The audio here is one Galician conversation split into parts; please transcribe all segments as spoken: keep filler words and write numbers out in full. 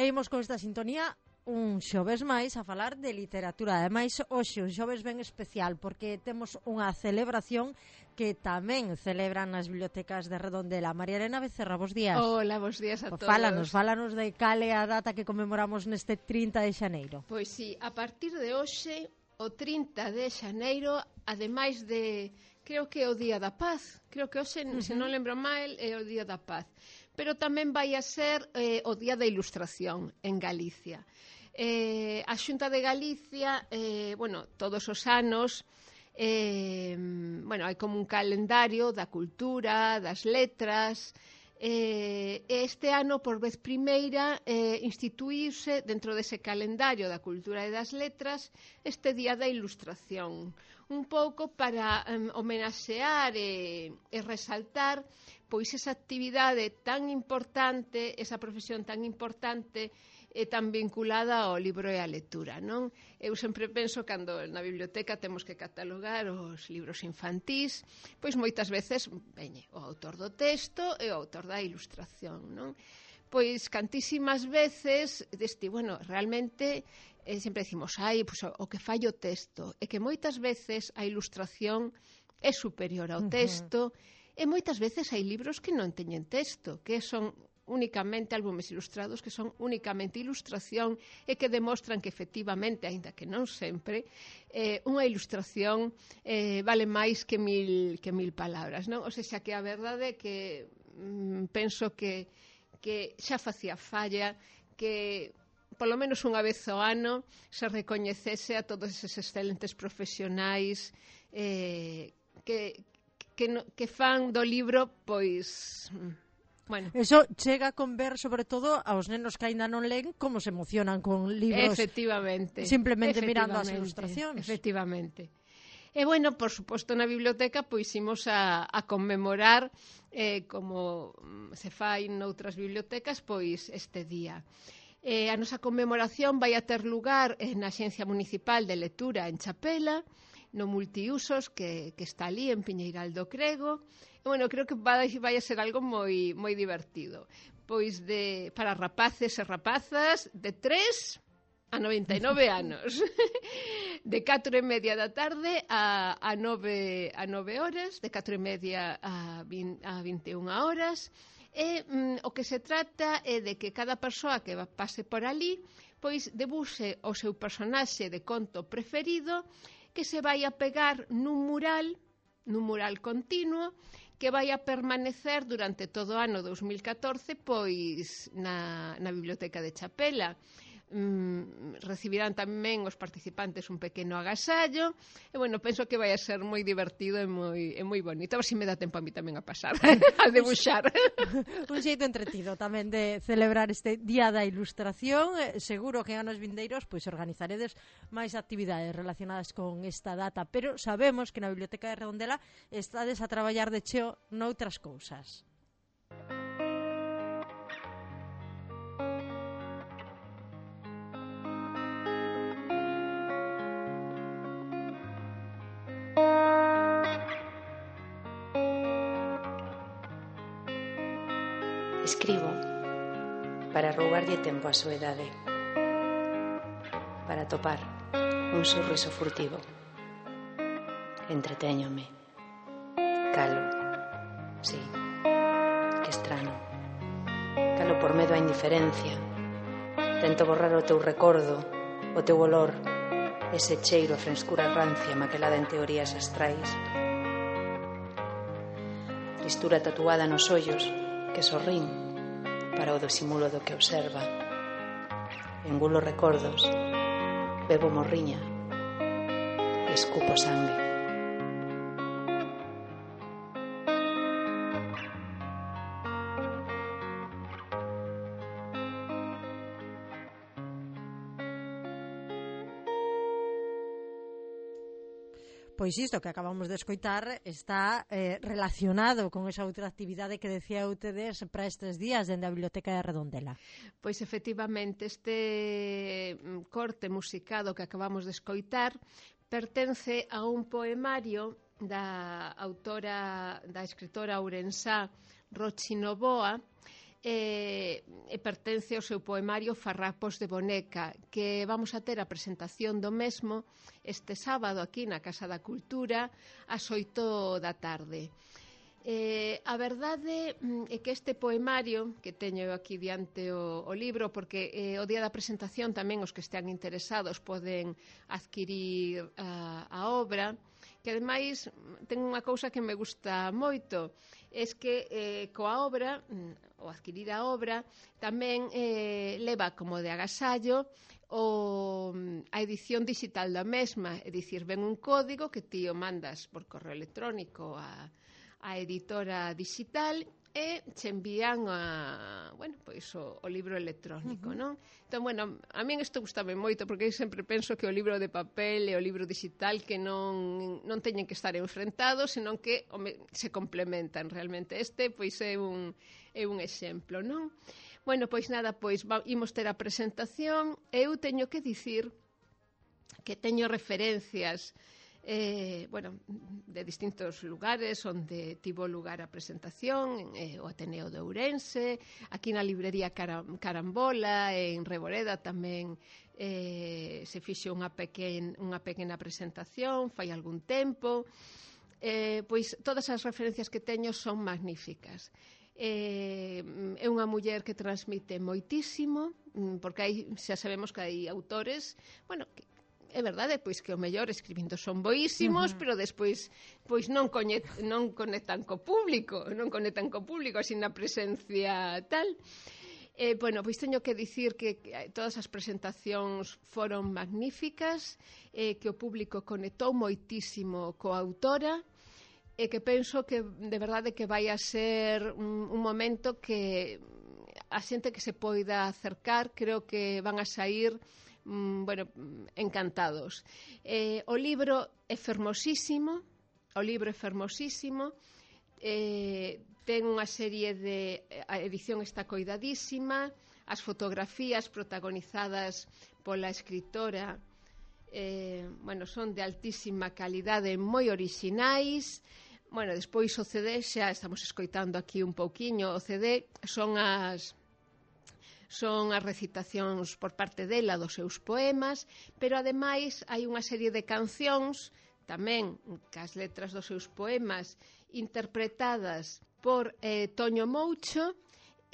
E imos con esta sintonía un xoves máis a falar de literatura. Ademais, hoxe un xoves ben especial porque temos unha celebración que tamén celebran nas bibliotecas de Redondela. María Elena Becerra, bos días. Hola, bos días a pues todos. Fálanos, fálanos de cale a data que conmemoramos neste trinta de xaneiro. Pois sí, a partir de hoxe, o trinta de xaneiro, ademais de, creo que é o Día da Paz, creo que hoxe, uh -huh. se non lembro mal, é o Día da Paz, pero tamén vai a ser eh, o Día da Ilustración en Galicia. Eh, a Xunta de Galicia, eh, bueno, todos os anos, eh, bueno, hai como un calendario da cultura, das letras. Eh, este ano, por vez primeira, eh, instituíuse dentro dese calendario da cultura e das letras este Día da Ilustración, un pouco para um, homenaxear e, e resaltar pois esa actividade tan importante, esa profesión tan importante e tan vinculada ao libro e á lectura, non? Eu sempre penso, cando na biblioteca temos que catalogar os libros infantís, pois moitas veces veñe o autor do texto e o autor da ilustración, non? Pois cantísimas veces deste, bueno, realmente eh, sempre decimos, ai, pois, o, o que fai o texto, e que moitas veces a ilustración é superior ao texto, uh-huh. e moitas veces hai libros que non teñen texto, que son únicamente álbumes ilustrados, que son únicamente ilustración e que demostran que efectivamente, aínda que non sempre, eh, unha ilustración eh, vale máis que mil, que mil palabras, non? O sea, que a verdade é que mm, penso que, que xa facía falla que polo menos unha vez ao ano se recoñecese a todos eses excelentes profesionais eh, que, que, no, que fan do libro, pois... Bueno. Eso chega con ver, sobre todo, aos nenos que aínda non len como se emocionan con libros. Efectivamente. Simplemente Efectivamente, mirando as ilustracións. Efectivamente. E, bueno, por suposto, na biblioteca pois imos a, a conmemorar, eh, como se fai noutras bibliotecas, pois este día. Eh, a nosa conmemoración vai a ter lugar na Axencia Municipal de Lectura en Chapela, no multiusos que, que está ali en Piñeiral do Crego. Bueno, creo que vai, vai a ser algo moi moi divertido. Pois de para rapaces e rapazas de tres a noventa e nove anos. De catro e media da tarde a, a, nove, a nove horas, de catro e media a, a vinte e unha horas. E mm, o que se trata é de que cada persoa que pase por ali pois debuse o seu personaxe de conto preferido, que se vai a pegar nun mural, nun mural continuo, que vai a permanecer durante todo o ano dos mil catorce pois na, na Biblioteca de Chapela. Mm, recibirán tamén os participantes un pequeno agasallo e, bueno, penso que vai a ser moi divertido e moi, e moi bonito. A ver se me dá tempo a mí tamén a pasar a debuxar. Un xeito entretido tamén de celebrar este Día da Ilustración. Seguro que en anos vindeiros pois organizaredes máis actividades relacionadas con esta data, pero sabemos que na Biblioteca de Redondela estades a traballar de cheo noutras cousas. Escribo para roubarlle tempo á soedade, para topar un sorriso furtivo. Entretéñome. Calo. Sí, que estrano. Calo por medo á indiferencia. Tento borrar o teu recordo, o teu olor, ese cheiro a frescura rancia maquelada en teorías astrais. Tristura tatuada nos ollos que sorrín para o disimulo do que observa. Engulo recordos, bebo morriña e escupo sangue. Pois isto que acabamos de escoitar está eh, relacionado con esa outra actividade que decía ustedes para estes días dende a Biblioteca de Redondela. Pois efectivamente, este corte musicado que acabamos de escoitar pertence a un poemario da autora, da escritora ourensá Rochi Novoa, e, e pertence ao seu poemario Farrapos de Boneca, que vamos a ter a presentación do mesmo este sábado aquí na Casa da Cultura ás oito da tarde. Eh, a verdade é que este poemario, que teño aquí diante o, o libro, porque eh, o día da presentación tamén os que estean interesados poden adquirir a, a obra, que ademais ten unha cousa que me gusta moito, é que eh, coa obra, ou adquirir a obra, tamén eh, leva como de agasallo o, a edición digital da mesma, é dicir, ven un código que ti o mandas por correo electrónico a a editora digital e che envían a, bueno, pois o, o libro electrónico, uh-huh. non? Entón, bueno, a min isto gustame moito porque eu sempre penso que o libro de papel e o libro digital que non, non teñen que estar enfrentados, senón que home, se complementan realmente. Este, pois, é un, é un exemplo, non? Bueno, pois nada, pois va, imos ter a presentación. Eu teño que dicir que teño referencias Eh, bueno, de distintos lugares onde tivo lugar a presentación, eh, o Ateneo de Ourense, aquí na librería Caram Carambola, en Reboreda tamén eh, se fixo unha, pequen, unha pequena presentación fai algún tempo. Eh, pois todas as referencias que teño son magníficas. Eh, é unha muller que transmite moitísimo, porque hai, xa sabemos que hai autores, bueno, que é verdade, pois que o mellor escribindo son boísimos, uh-huh. pero despois pois non, coñet, non conectan co público, non conectan co público, así na presencia tal. Eh, bueno, pois teño que dicir que todas as presentacións foron magníficas, eh, que o público conectou moitísimo coa autora, e que penso que de verdade que vai a ser un, un momento que a xente que se poida acercar, creo que van a saír bueno, encantados. Eh, o libro é fermosísimo, o libro é fermosísimo, eh, ten unha serie de... A edición está coidadísima, as fotografías protagonizadas pola escritora eh, bueno, son de altísima calidade, moi orixinais. Bueno, despois o C D, xa estamos escoitando aquí un pouquiño, o C D son as... son as recitacións por parte dela dos seus poemas, pero ademais hai unha serie de cancións tamén cas letras dos seus poemas interpretadas por eh, Toño Moucho,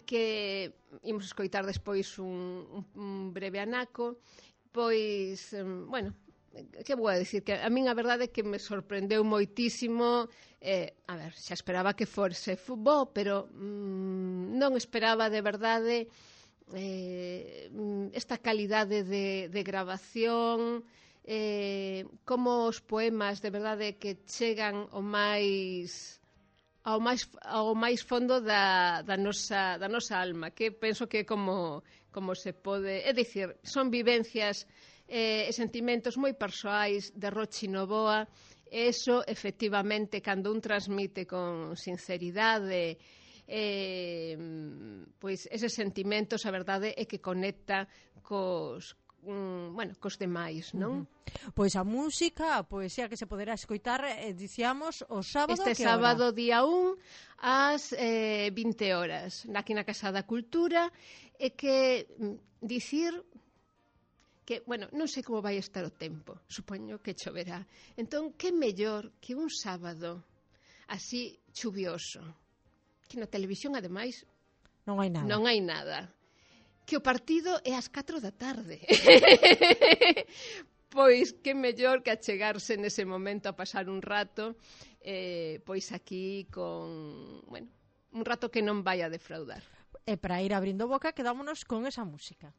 que imos escoitar despois un, un breve anaco, pois, bueno, que vou a dicir, que a min a verdade é que me sorprendeu moitísimo, eh, a ver, xa esperaba que forse bo, pero mm, non esperaba de verdade Eh, esta calidade de, de grabación, eh, como os poemas de verdade que chegan ao máis ao máis, ao máis fondo da, da, nosa, da nosa alma, que penso que como, como se pode, é dicir, son vivencias eh, e sentimentos moi persoais de Rochi Novoa, e eso efectivamente cando un transmite con sinceridade Eh, pois eses sentimentos, a verdade é que conecta cos, mm, bueno, cos demais, non? Uh-huh. Pois a música, a poesía que se poderá escoitar, eh, dicíamos, o sábado, este que sábado hora? día un ás eh, vinte horas, aquí na Casa da Cultura, e que mm, dicir que, bueno, non sei como vai estar o tempo, supoño que choverá. Entón, que mellor que un sábado así chuvioso, que na televisión, ademais, non hai nada. Non hai nada. Que o partido é ás catro da tarde. Pois que mellor que achegarse nese momento a pasar un rato, eh, pois aquí con, bueno, un rato que non vai a defraudar. E para ir abrindo boca, quedámonos con esa música.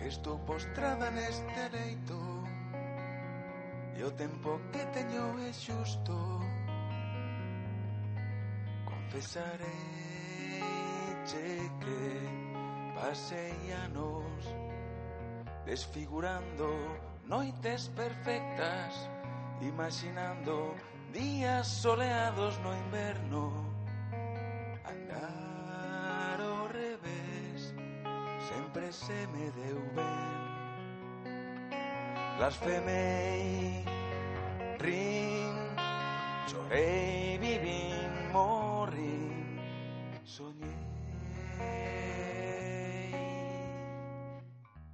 Estou postrada neste leito e o tempo que teño é xusto. Confesarei que pasei anos desfigurando noites perfectas, imaginando días soleados no inverno. Andar ao revés sempre se me deu ben. Blasfemei, rin, chorei, vivín, morrín, soñei.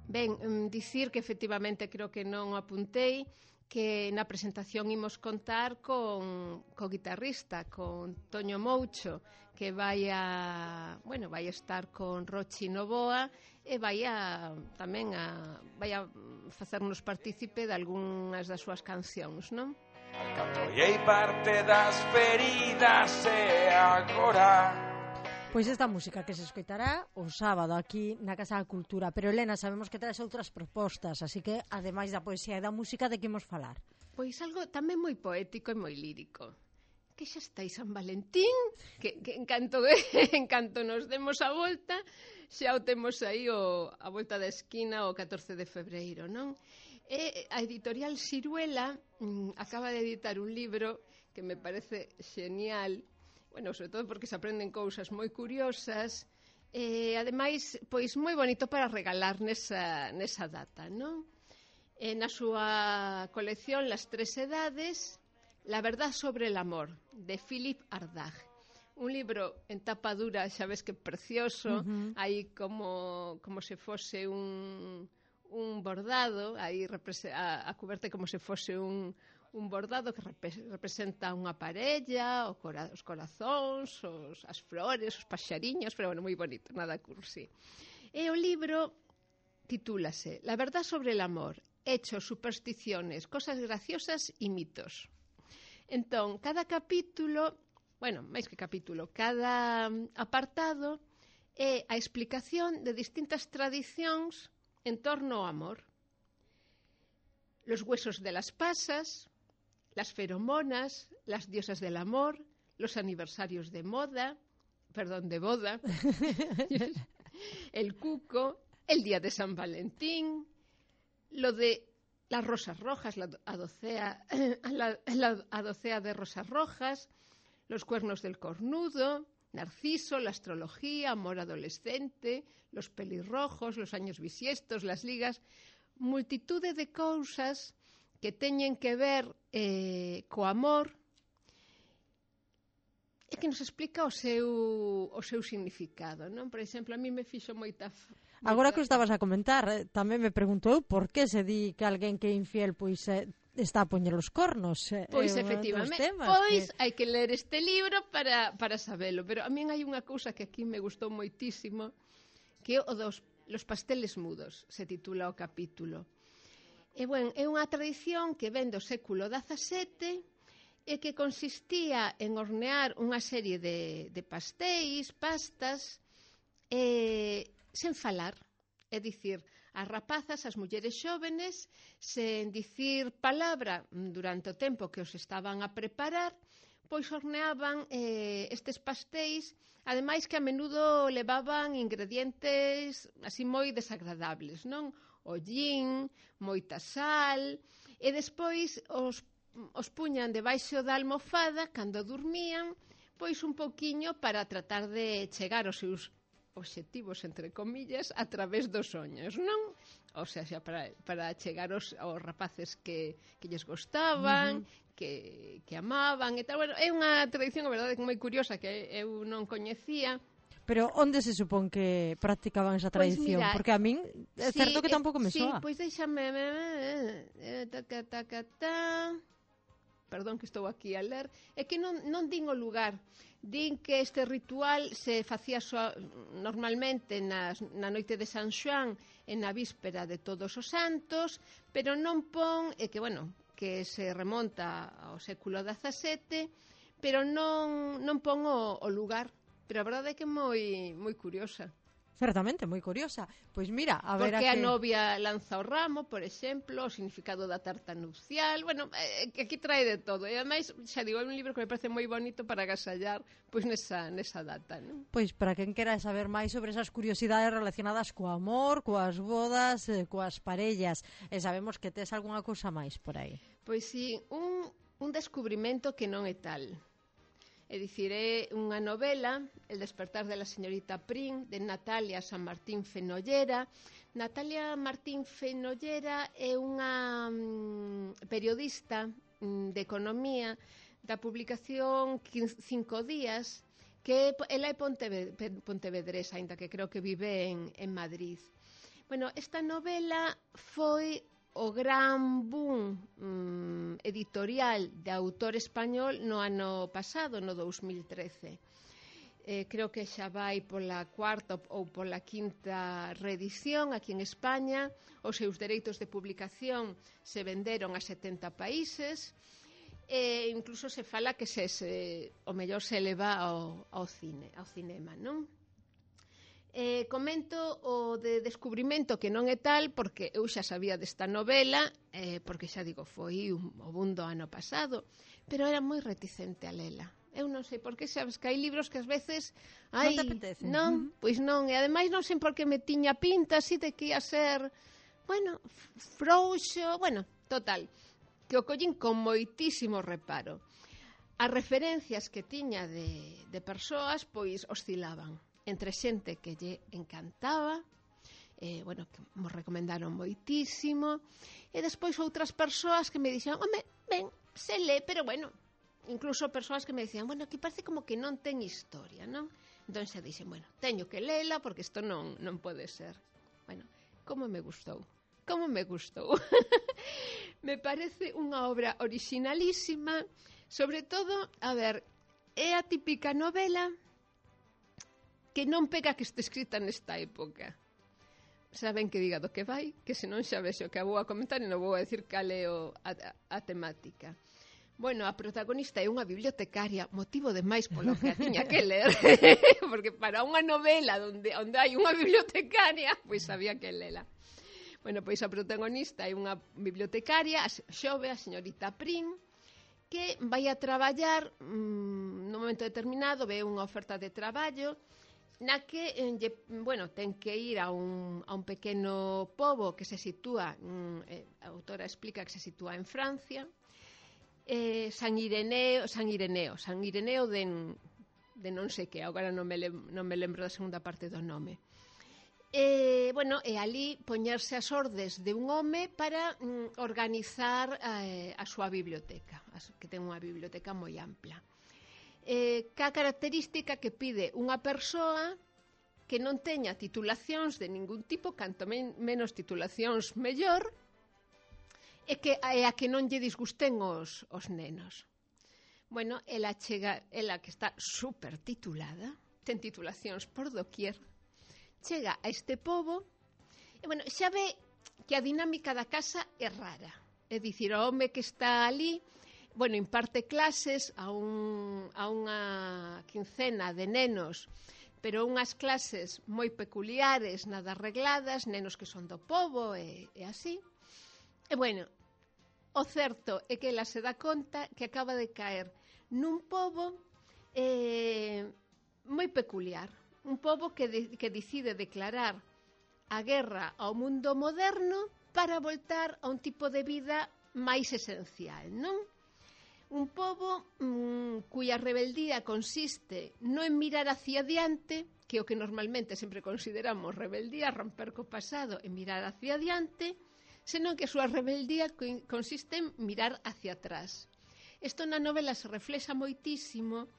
Ben, um, dicir que efectivamente creo que non apuntei que na presentación imos contar con co guitarrista, con Toño Moucho, que vai a, bueno, vai a estar con Rochi Novoa e vai a tamén a vai a facernos partícipe de algunhas das súas cancións, non? Alcanzoei parte das feridas e agora. Pois esta música que se escoitará o sábado aquí na Casa da Cultura. Pero, Elena, sabemos que traes outras propostas, así que, ademais da poesía e da música, de que imos falar? Pois algo tamén moi poético e moi lírico. Que xa está aí San Valentín, que, que en, canto, en canto nos demos a volta, xa o temos aí o, a volta da esquina o catorce de febreiro, non? E a editorial Siruela mm, acaba de editar un libro que me parece genial, bueno, sobre todo porque se aprenden cousas moi curiosas e, ademais, pois moi bonito para regalar nesa, nesa data, non? E na súa colección Las tres edades, La verdad sobre el amor, de Philip Ardagh. Un libro en tapa dura, xa ves que precioso, uh-huh. aí como, como se fose un, un bordado, aí a, a cuberte como se fose un... un bordado que rep- representa unha parella, o cora- os corazóns, os, as flores, os paxariños, pero bueno, moi bonito, nada cursi. E o libro titúlase La verdad sobre el amor, hechos, supersticiones, cosas graciosas y mitos. Entón, cada capítulo, bueno, máis que capítulo, cada apartado é a explicación de distintas tradicións en torno ao amor. Los huesos de las pasas, las feromonas, las diosas del amor, los aniversarios de moda, perdón, de boda, el cuco, el día de San Valentín, lo de las rosas rojas, la adocea, la, la adocea de rosas rojas, los cuernos del cornudo, Narciso, la astrología, amor adolescente, los pelirrojos, los años bisiestos, las ligas, multitude de cousas que teñen que ver eh, co amor e que nos explica o seu, o seu significado, non? Por exemplo, a mí me fixo moita... moita... Agora que o estabas a comentar, eh, tamén me pregunto eu por que se di que alguén que é infiel pois eh, está a poñer os cornos. Eh, pois eh, efectivamente, pois que... hai que ler este libro para, para sabelo, pero a min hai unha cousa que aquí me gustou moitísimo, que o dos Los pasteles mudos, se titula o capítulo. E, bueno, é unha tradición que ven do século dezasete e que consistía en hornear unha serie de, de pastéis, pastas, eh, sen falar. É dicir, as rapazas, as mulleres xóvenes, sen dicir palabra durante o tempo que os estaban a preparar, pois horneaban eh, estes pastéis, ademais que a menudo levaban ingredientes así moi desagradables, non? Ollín, moita sal, e despois os, os puñan debaixo da almofada cando dormían, pois un pouquiño para tratar de chegar aos seus obxectivos, entre comillas, a través dos soños, non? O sea, xa para, para chegar aos, aos rapaces que, que lles gostaban, uh-huh. que, que amaban e tal. Bueno, é unha tradición, a verdade, moi curiosa que eu non coñecía. Pero onde se supón que practicaban esa tradición? Pois mira, porque a min é sí, certo que tampouco me sí, soa. Pois deixame... Taca, taca, ta... Perdón que estou aquí a ler. É que non, non din o lugar. Din que este ritual se facía so, normalmente nas, na noite de San Xoán e na víspera de Todos os Santos, pero non pon... É que, bueno, que se remonta ao século dezasete, pero non, non pon o, o lugar. Pero a verdade é que é moi, moi curiosa. Certamente, moi curiosa. Pois mira, a ver Porque a que... a que... novia lanza o ramo, por exemplo, o significado da tarta nupcial, bueno, eh, que aquí trae de todo. E ademais, xa digo, é un libro que me parece moi bonito para agasallar pois nesa, nesa data, non? Pois para quen quera saber máis sobre esas curiosidades relacionadas co amor, coas bodas, eh, coas parellas, e sabemos que tes algunha cousa máis por aí. Pois sí, un, un descubrimento que non é tal. É dicir, é unha novela, El despertar de la señorita Prim, de Natalia San Martín Fenollera. Natalia Martín Fenollera é unha mm, periodista mm, de economía da publicación Cinco Días, que ela é pontevedresa, ainda que creo que vive en, en Madrid. Bueno, esta novela foi o gran boom mm, editorial de autor español no ano pasado, no dos mil trece. Eh, creo que xa vai pola cuarta ou pola quinta reedición aquí en España. Os seus dereitos de publicación se venderon a setenta países. E incluso se fala que se, se, o mellor se eleva ao, ao cine, ao cinema, non? Eh, comento o de descubrimento que non é tal, porque eu xa sabía desta novela, eh, porque xa digo, foi un, o boom do ano pasado, pero era moi reticente a lela. Eu non sei por que, sabes que hai libros que ás veces ai, non te apetece. Non, uh -huh. Pois non, e ademais non sei por que me tiña pinta así de que ia ser, bueno, frouxo, bueno, total, que o collín con moitísimo reparo. As referencias que tiña de, de persoas, pois oscilaban entre xente que lle encantaba, eh, bueno, que mo recomendaron moitísimo, e despois outras persoas que me dixeron, home, ben, se lé, pero bueno, incluso persoas que me dicían, bueno, que parece como que non ten historia, non? Entón xa dixen, bueno, teño que lela porque isto non, non pode ser. Bueno, como me gustou, como me gustou. Me parece unha obra originalísima, sobre todo, a ver, é a típica novela que non pega que este escrita nesta época. Saben que diga do que vai, que senón xa vexo que a vou a comentar e non vou a decir cal é o, a, a temática. Bueno, a protagonista é unha bibliotecaria, motivo de máis polo que a tiña que ler, porque para unha novela onde, onde hai unha bibliotecaria, pois sabía que lela. Bueno, pois a protagonista é unha bibliotecaria, a xove, a señorita Prim, que vai a traballar, mmm, nun momento determinado, ve unha oferta de traballo, na que, eh, bueno, ten que ir a un, a un pequeno pobo que se sitúa, mm, eh, a autora explica que se sitúa en Francia, eh, San Ireneo, San Ireneo, San Ireneo de, de non sei que, agora non me, lem, non me lembro da segunda parte do nome. E, bueno, e ali poñerse as ordes de un home para mm, organizar eh, a súa biblioteca, que ten unha biblioteca moi ampla. Eh, ca característica que pide unha persoa que non teña titulacións de ningún tipo, canto men menos titulacións mellor, e que e a que non lle disgusten os, os nenos. Bueno, ela chega, ela que está super titulada, ten titulacións por doquier, chega a este pobo e, bueno, xa ve que a dinámica da casa é rara. É dicir, o home que está ali, bueno, imparte clases a, un, a unha quincena de nenos, pero unhas clases moi peculiares, nada arregladas, nenos que son do pobo e, e así. E, bueno, o certo é que ela se dá conta que acaba de caer nun pobo eh, moi peculiar. Un pobo que, de, que decide declarar a guerra ao mundo moderno para voltar a un tipo de vida máis esencial, non? Un pobo mmm, cuya rebeldía consiste non en mirar hacia adiante, que é o que normalmente sempre consideramos rebeldía, romper co pasado e mirar hacia adiante, senón que a súa rebeldía consiste en mirar hacia atrás. Isto na novela se reflexa moitísimo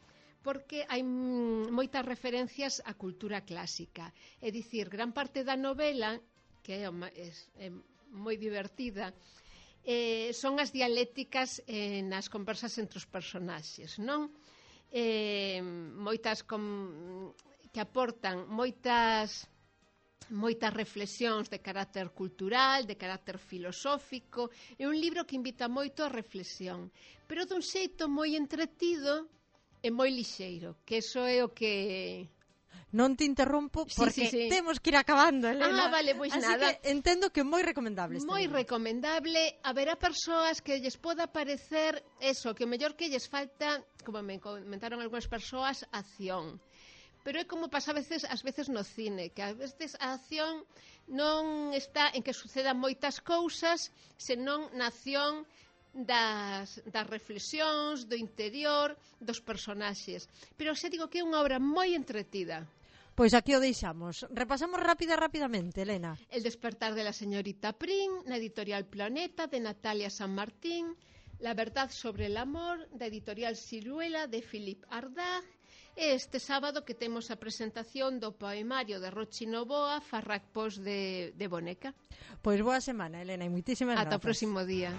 porque hai moitas referencias á cultura clásica. É dicir, gran parte da novela, que é, é, é moi divertida, eh, son as dialécticas eh, nas conversas entre os personaxes, non? Eh, moitas com, que aportan moitas moitas reflexións de carácter cultural, de carácter filosófico. É un libro que invita moito a reflexión, pero dun xeito moi entretido e moi lixeiro, que eso é o que... Non te interrompo porque sí, sí, sí. temos que ir acabando, Elena. Ah, vale, pois así nada. Que entendo que é moi recomendable este Moi libro. recomendable. Haberá persoas que lles poda parecer eso, que o mellor que lles falta, como me comentaron algunhas persoas, acción. Pero é como pasa a veces, ás veces no cine, que a veces a acción non está en que sucedan moitas cousas, senón na acción das, das reflexións, do interior, dos personaxes. Pero xa digo que é unha obra moi entretida. Pois aquí o deixamos. Repasamos rápida, rapidamente, Elena. El despertar de la señorita Prim, na editorial Planeta, de Natalia San Martín. La verdad sobre el amor, da editorial Siruela, de Philip Ardagh. E este sábado que temos a presentación do poemario de Rochi Novoa, Farracpos de, de Boneca. Pois boa semana, Elena, e moitísimas Ata grazas. o próximo día.